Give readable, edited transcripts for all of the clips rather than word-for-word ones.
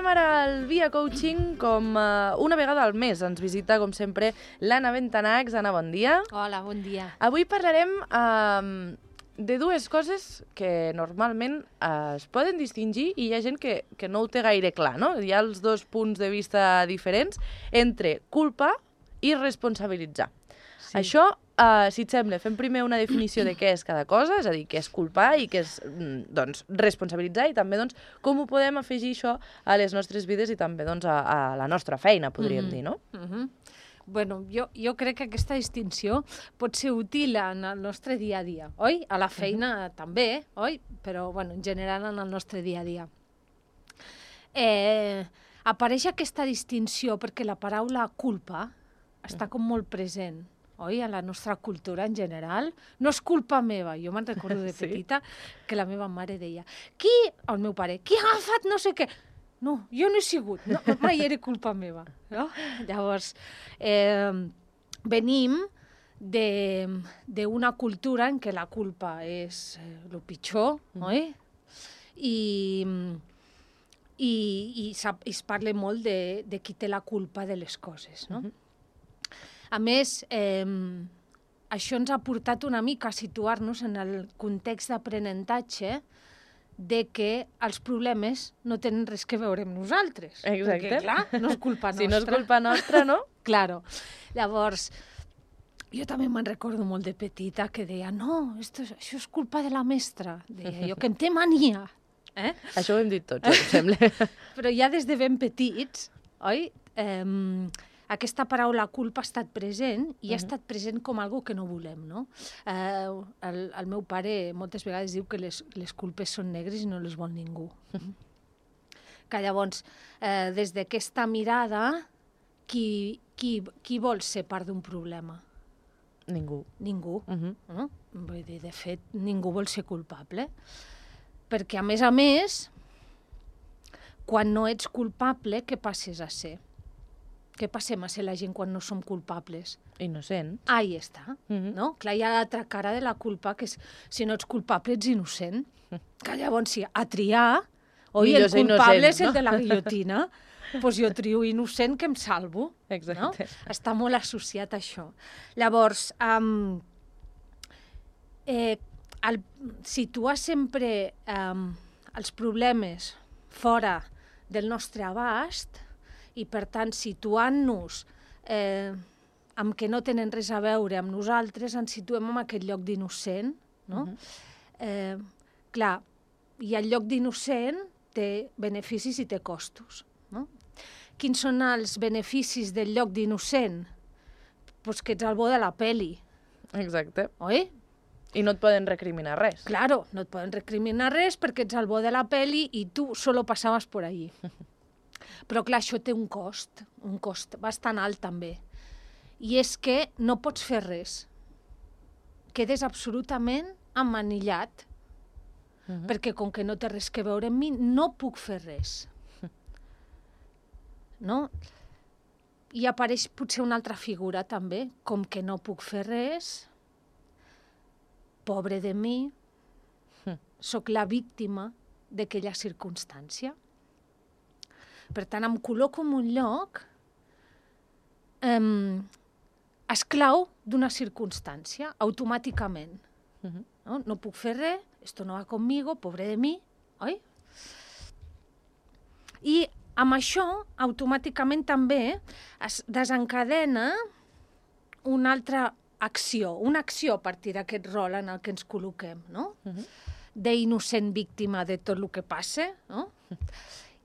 Comencem ara el Via Coaching com una vegada al mes. Ens visita, com sempre, l'Anna Bentanacs. Anna, bon dia. Hola, bon dia. Avui parlarem de dues coses que normalment es poden distingir i hi ha gent que no ho té gaire clar, no? Hi ha els dos punts de vista diferents entre culpa i responsabilitzar. Sí. Això, si et sembla, fem primer una definició de què és cada cosa, és a dir, què és culpar i què és responsabilitzar i també com ho podem afegir això a les nostres vides i també a la nostra feina, podríem dir, no? Bueno, jo crec que aquesta distinció pot ser útil en el nostre dia a dia, oi? A la feina també, oi? Però, bueno, en general en el nostre dia a dia. Apareix aquesta distinció perquè la paraula culpa està com molt present, oi? A la nostra cultura en general. No és culpa meva. Jo me'n recordo de petita que la meva mare deia el meu pare, qui ha agafat no sé què? No, jo no he sigut, no, mai era culpa meva. No? Llavors, venim d'una cultura en què la culpa és el pitjor, oi? I es parla molt de qui té la culpa de les coses, no? A més, això ens ha portat una mica a situar-nos en el context d'aprenentatge de que els problemes no tenen res que veure amb nosaltres. Exacte. Perquè, clar, no és culpa nostra. Si no és culpa nostra, no? Claro. Llavors, jo també me'n recordo molt de petita que deia no, això és culpa de la mestra. Deia jo, que em té mania. Això ho hem dit tots, em sembla. Però ja des de ben petits, oi? Aquesta paraula culpa ha estat present i ha estat present com algo que no volem, no? El meu pare moltes vegades diu que les culpes són negres i no les vol ningú. Que llavors, des d'aquesta mirada, qui vol ser part d'un problema? Ningú. Ningú. No? Vull dir, de fet, ningú vol ser culpable. Perquè, a més, quan no ets culpable, què passes a ser? Què passem a ser la gent quan no som culpables? Innocent. Ahí està, no? Clar, hi ha l'altra cara de la culpa, que és, si no ets culpable, ets innocent. Que llavors, sí, a triar, oi, el culpable és el de la guillotina, doncs jo trio innocent que em salvo. Exacte. No? Està molt associat a això. Llavors, situar sempre els problemes fora del nostre abast i, per tant, situant-nos amb que no tenen res a veure amb nosaltres, ens situem en aquest lloc d'innocent, no? Clar, i el lloc d'innocent té beneficis i té costos, no? Quins són els beneficis del lloc d'innocent? Doncs que ets el bo de la peli. Exacte. Oi? I no et poden recriminar res. Claro, no et poden recriminar res perquè ets el bo de la peli i tu solo passaves por allí. Però, clar, això té un cost bastant alt, també. I és que no pots fer res. Quedes absolutament emmanillat, perquè com que no té res que veure amb mi, no puc fer res. No? I apareix potser una altra figura, també, com que no puc fer res, pobre de mi, sóc la víctima d'aquella circumstància. Per tant, em col·loco en un lloc esclau d'una circumstància, automàticament. No puc fer res, esto no va conmigo, pobre de mi, oi? I amb això, automàticament també es desencadena una altra acció, a partir d'aquest rol en el que ens col·loquem, no? D'innocent víctima de tot el que passa, no?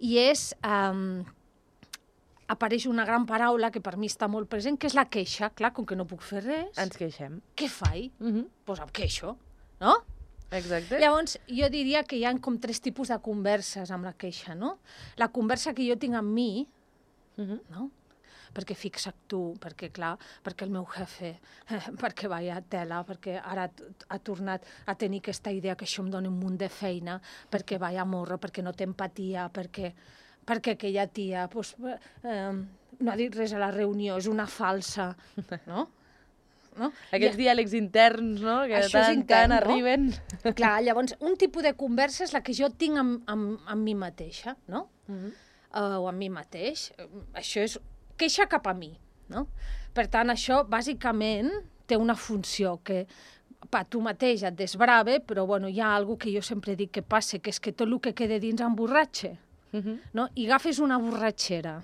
I apareix una gran paraula que per mi està molt present, que és la queixa. Clar, com que no puc fer res... Ens queixem. Què faig? Doncs em queixo, no? Exacte. Llavors, jo diria que hi ha com 3 tipus de converses amb la queixa, no? La conversa que jo tinc amb mi, no? Perquè fixa't tu, perquè clar, perquè el meu jefe, perquè vaya tela, perquè ara ha tornat a tenir aquesta idea que això em dona un munt de feina, perquè vaya morro, perquè no té empatia, perquè aquella tia no ha dit res a la reunió, és una falsa, no? Aquests diàlegs interns, no?, que tant arriben. Clar, llavors, un tipus de conversa és la que jo tinc amb mi mateixa, no? o amb mi mateix. Això és queixa cap a mi, no? Per tant, això bàsicament té una funció que tu mateix et desbrave, però bueno, hi ha alguna que jo sempre dic que passa, que és que tot el que queda dins emborratxa, no? I agafes una borratxera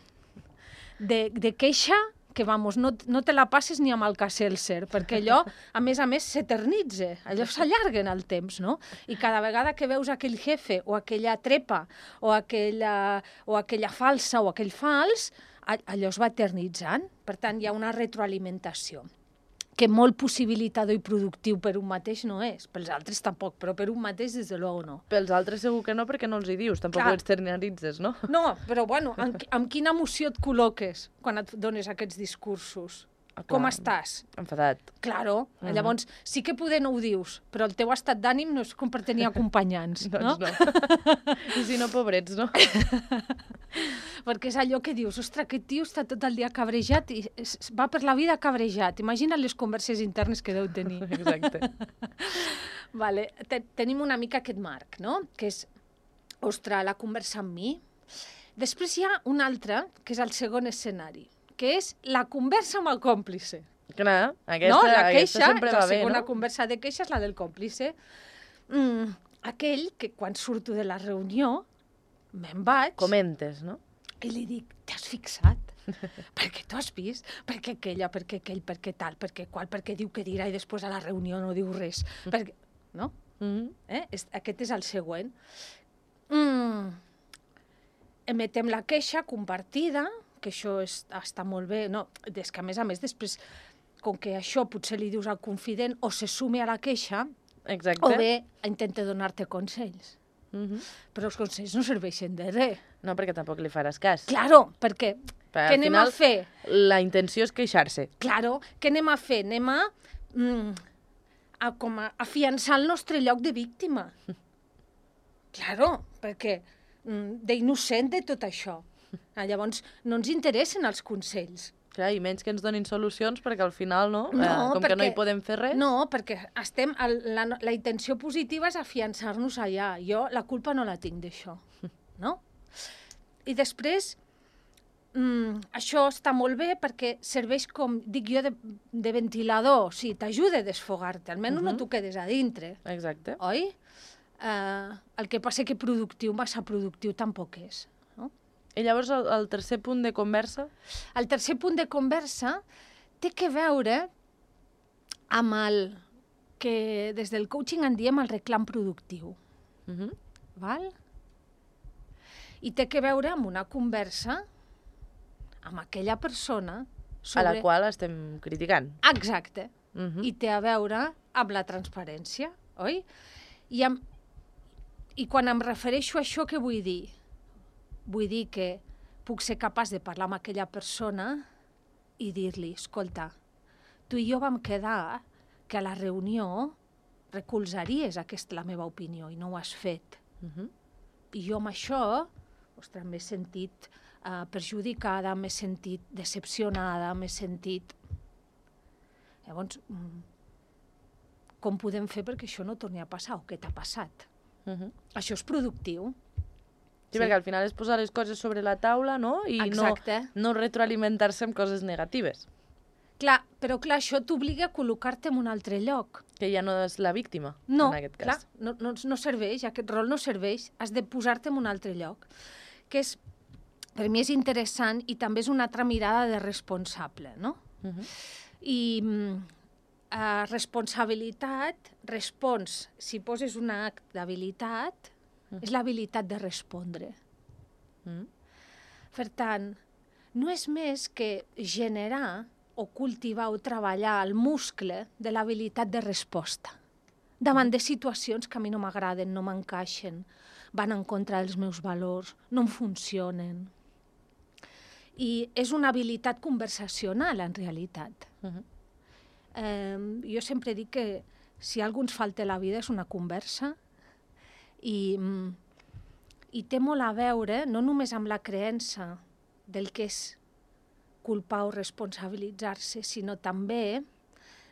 de queixa que, vamos, no te la passes ni amb el Alka-Seltzer, perquè allò, a més, s'eternitza, allò s'allarga en el temps, no? I cada vegada que veus aquell jefe, o aquella trepa, o aquella falsa, o aquell fals, allò es va eternitzant. Per tant, hi ha una retroalimentació que molt possibilitador i productiu per un mateix no és. Pels altres tampoc, però per un mateix, des de luego, no. Pels altres segur que no, perquè no els hi dius, tampoc ho externalitzes, no? No, però bueno, amb quina emoció et col·loques quan et dones aquests discursos? Com estàs? Enfadat. Claro, llavors sí que poder no ho dius, però el teu estat d'ànim no és com per tenir acompanyants, no? Doncs no. I si no, pobrets, no? Perquè és allò que dius, ostres, aquest tio està tot el dia cabrejat i va per la vida cabrejat. Imagina les converses internes que deu tenir. Exacte. Vale. Tenim una mica aquest marc, no? Que és, ostres, la conversa amb mi. Després hi ha un altre, que és el segon escenari, que és la conversa amb el còmplice. Clar, aquesta sempre va bé, no? La segona conversa de queixa és la del còmplice. Aquell que quan surto de la reunió me'n vaig... Comentes, no? I li dic, t'has fixat? Perquè tu has vist? Perquè aquella, perquè aquell, perquè tal, perquè qual, perquè diu que dirà i després a la reunió no diu res. Perquè... No? Aquest és el següent. Emetem la queixa compartida, que això està molt bé, no? És que, a més, després, com que això potser li dius al confident, o se sume a la queixa, exacte, o bé intenta donar-te consells. Però els consells no serveixen de res. No, perquè tampoc li faràs cas. Claro, perquè què anem a fer? La intenció és queixar-se. Claro, què anem a fer? Anem a afiançar el nostre lloc de víctima. Claro, perquè d'innocent de tot això. Llavors, no ens interessen els consells. Clar, i menys que ens donin solucions, perquè al final, no? Que no hi podem fer res. No, perquè la intenció positiva és afiançar-nos allà. Jo la culpa no la tinc d'això, no? I després, això està molt bé perquè serveix, com dic jo, de ventilador. O sigui, t'ajuda a desfogar-te, almenys no t'ho quedes a dintre. Exacte. Oi? El que passa que productiu, massa productiu tampoc és. I llavors el tercer punt de conversa? El tercer punt de conversa té que veure amb el que des del coaching en diem el reclam productiu. Val? I té que veure amb una conversa amb aquella persona sobre... A la qual estem criticant. Exacte. I té a veure amb la transparència, oi? I quan em refereixo a això, què vull dir? Vull dir que puc ser capaç de parlar amb aquella persona i dir-li, escolta, tu i jo vam quedar que a la reunió recolzaries la meva opinió i no ho has fet. I jo amb això, ostres, m'he sentit perjudicada, m'he sentit decepcionada, m'he sentit... Llavors, com podem fer perquè això no torni a passar o què t'ha passat? Això és productiu. Sí, perquè al final és posar les coses sobre la taula, no? I no retroalimentar-se amb coses negatives. Clar, però clar, això t'obliga a col·locar-te en un altre lloc. Que ja no és la víctima, en aquest cas. No, no serveix, aquest rol no serveix, has de posar-te en un altre lloc. Que és, per mi és interessant i també és una altra mirada de responsable, no? I responsabilitat, si poses un acte d'habilitat, és l'habilitat de respondre. Per tant, no és més que generar o cultivar o treballar el muscle de l'habilitat de resposta davant de situacions que a mi no m'agraden, no m'encaixen, van en contra dels meus valors, no em funcionen. I és una habilitat conversacional, en realitat. Jo sempre dic que si algú ens falta a la vida és una conversa i té molt a veure no només amb la creença del que és culpar o responsabilitzar-se, sinó també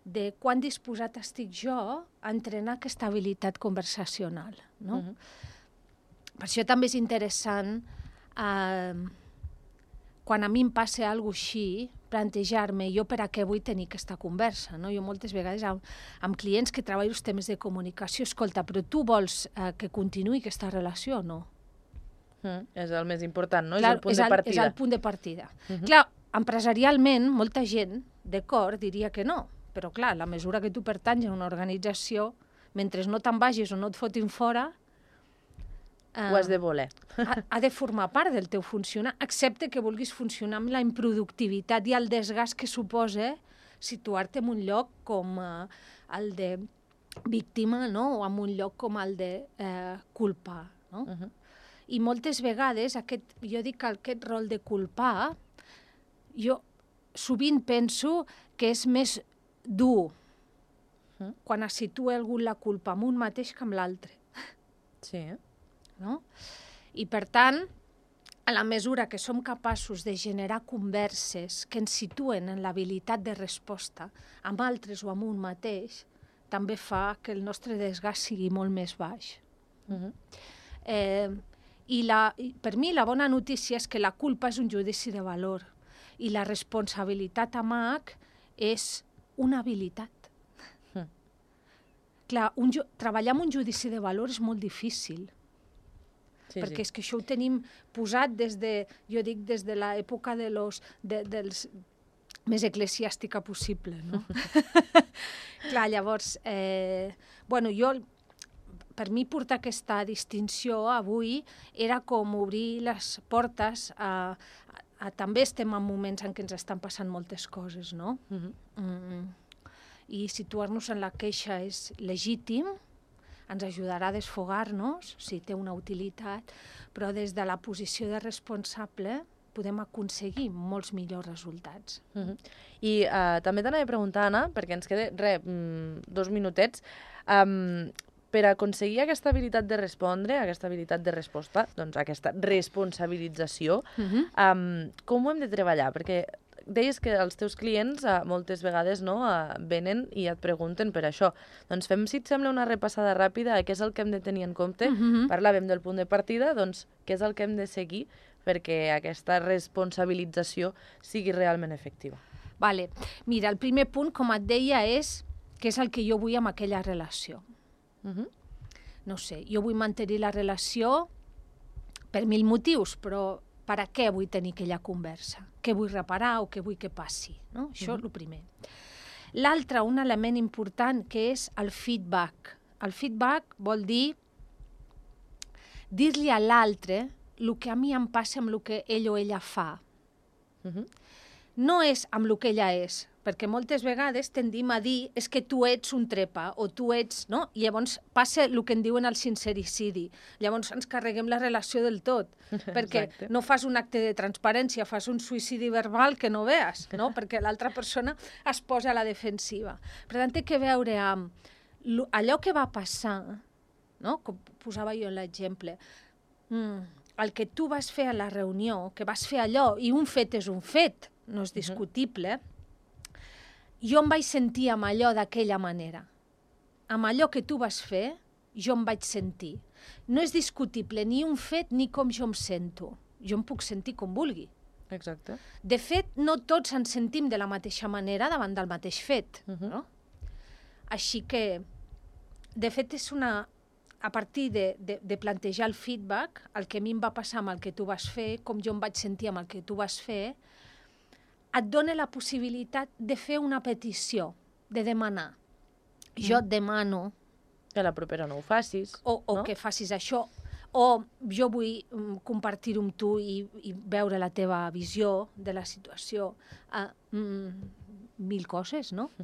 de quan disposat estic jo a entrenar aquesta habilitat conversacional. No? Per això també és interessant quan a mi em passa alguna cosa així, plantejar-me jo per a què vull tenir aquesta conversa. No? Jo moltes vegades amb clients que treballo els temes de comunicació, escolta, però tu vols que continuï aquesta relació o no? És el més important, no? Clar, és el punt de partida. És el punt de partida. Clar, empresarialment, molta gent, d'acord, diria que no, però clar, a la mesura que tu pertanys a una organització, mentre no te'n vagis o no et fotin fora, ho has de voler. Ha de formar part del teu funcionar, excepte que vulguis funcionar amb la improductivitat i el desgast que suposa situar-te en un lloc com el de víctima, no? O en un lloc com el de culpar. No? I moltes vegades, jo dic que aquest rol de culpar, jo sovint penso que és més dur quan es situa algú la culpa amb un mateix que amb l'altre. Sí. No? I per tant, a la mesura que som capaços de generar converses que ens situen en l'habilitat de resposta amb altres o amb un mateix, també fa que el nostre desgast sigui molt més baix. Per mi la bona notícia és que la culpa és un judici de valor i la responsabilitat amb H és una habilitat. Clar, treballar amb un judici de valor és molt difícil, perquè és que això ho tenim posat des de l'època dels més eclesiàstica possible, no? Clar, llavors, per mi portar aquesta distinció avui era com obrir les portes també estem en moments en què ens estan passant moltes coses, no? I situar-nos en la queixa és legítim, ens ajudarà a desfogar-nos, si té una utilitat, però des de la posició de responsable podem aconseguir molts millors resultats. I també t'anava a preguntar, Anna, perquè ens queda, 2 minutets, per aconseguir aquesta habilitat de respondre, aquesta habilitat de resposta, doncs aquesta responsabilització, com ho hem de treballar? Perquè deies que els teus clients moltes vegades venen i et pregunten per això. Doncs fem, si et sembla, una repassada ràpida a què és el que hem de tenir en compte. Parlàvem del punt de partida, doncs què és el que hem de seguir perquè aquesta responsabilització sigui realment efectiva. Vale. Mira, el primer punt, com et deia, és què és el que jo vull amb aquella relació. No sé, jo vull mantenir la relació per 1000 motius, però per a què vull tenir aquella conversa? Què vull reparar o què vull que passi? No? Això és el primer. L'altre, un element important, que és el feedback. El feedback vol dir-li a l'altre el que a mi em passa amb el que ell o ella fa. No és amb el que ella és, perquè moltes vegades tendim a dir és que tu ets un trepa o tu ets, no? I llavors passa el que en diuen el sincericidi. Llavors ens carreguem la relació del tot, perquè no fas un acte de transparència, fas un suïcidi verbal que no veas, no? Perquè l'altra persona es posa a la defensiva. Per tant, té que veure amb allò que va passar, no? Com posava jo l'exemple, el que tu vas fer a la reunió, que vas fer allò, i un fet és un fet, no és discutible, jo em vaig sentir amb allò d'aquella manera. Amb allò que tu vas fer, jo em vaig sentir. No és discutible ni un fet ni com jo em sento. Jo em puc sentir com vulgui. Exacte. De fet, no tots ens sentim de la mateixa manera davant del mateix fet. No? Així que, de fet, és a partir de plantejar el feedback, el que a mi em va passar amb el que tu vas fer, com jo em vaig sentir amb el que tu vas fer, et dona la possibilitat de fer una petició, de demanar. Jo et demano... Que la propera no ho facis. O que facis això. O jo vull compartir-ho amb tu i veure la teva visió de la situació. 1000 coses, no?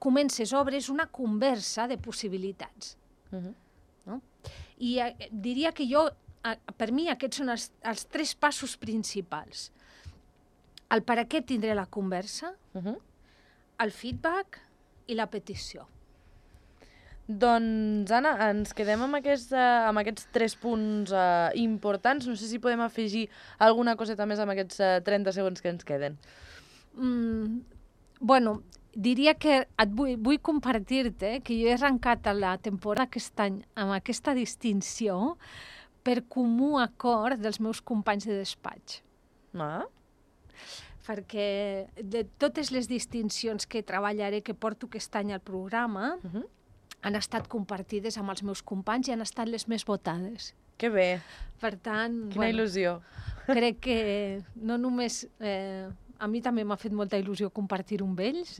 Comences, obres una conversa de possibilitats. No? I diria que per mi aquests són els 3 passos principals. El per a què tindré la conversa, el feedback i la petició. Doncs, Anna, ens quedem amb aquests 3 punts importants. No sé si podem afegir alguna coseta més amb aquests 30 segons que ens queden. Diria que vull compartir-te que jo he arrencat la temporada aquest any amb aquesta distinció per comú acord dels meus companys de despatx. Ah, Perquè de totes les distincions que treballaré, que porto aquest any al programa, han estat compartides amb els meus companys i han estat les més votades. que bé. Per tant, Quina il·lusió. crec que no només... a mi també m'ha fet molta il·lusió compartir-ho amb ells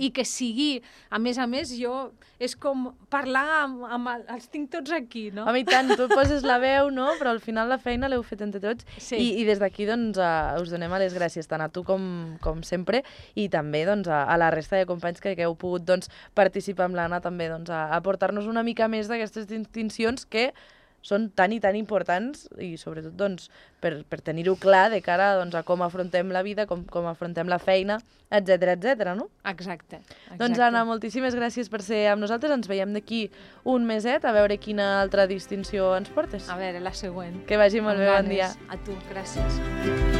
i que sigui, a més, jo, és com parlar amb els tinc tots aquí, no? Home, i tant, tu poses la veu, no? Però al final la feina l'heu fet entre tots. Sí. I des d'aquí doncs, us donem les gràcies tant a tu com sempre i també doncs, a la resta de companys que heu pogut doncs, participar amb l'Anna també doncs, a portar-nos una mica més d'aquestes distincions que són tan i tan importants i sobretot doncs, per tenir-ho clar de cara doncs, a com afrontem la vida, com afrontem la feina, etc, no? Exacte. Doncs Anna, moltíssimes gràcies per ser amb nosaltres. Ens veiem d'aquí un meset a veure quina altra distinció ens portes. A veure, la següent. Que vagi molt bé, bon dia. A tu, gràcies.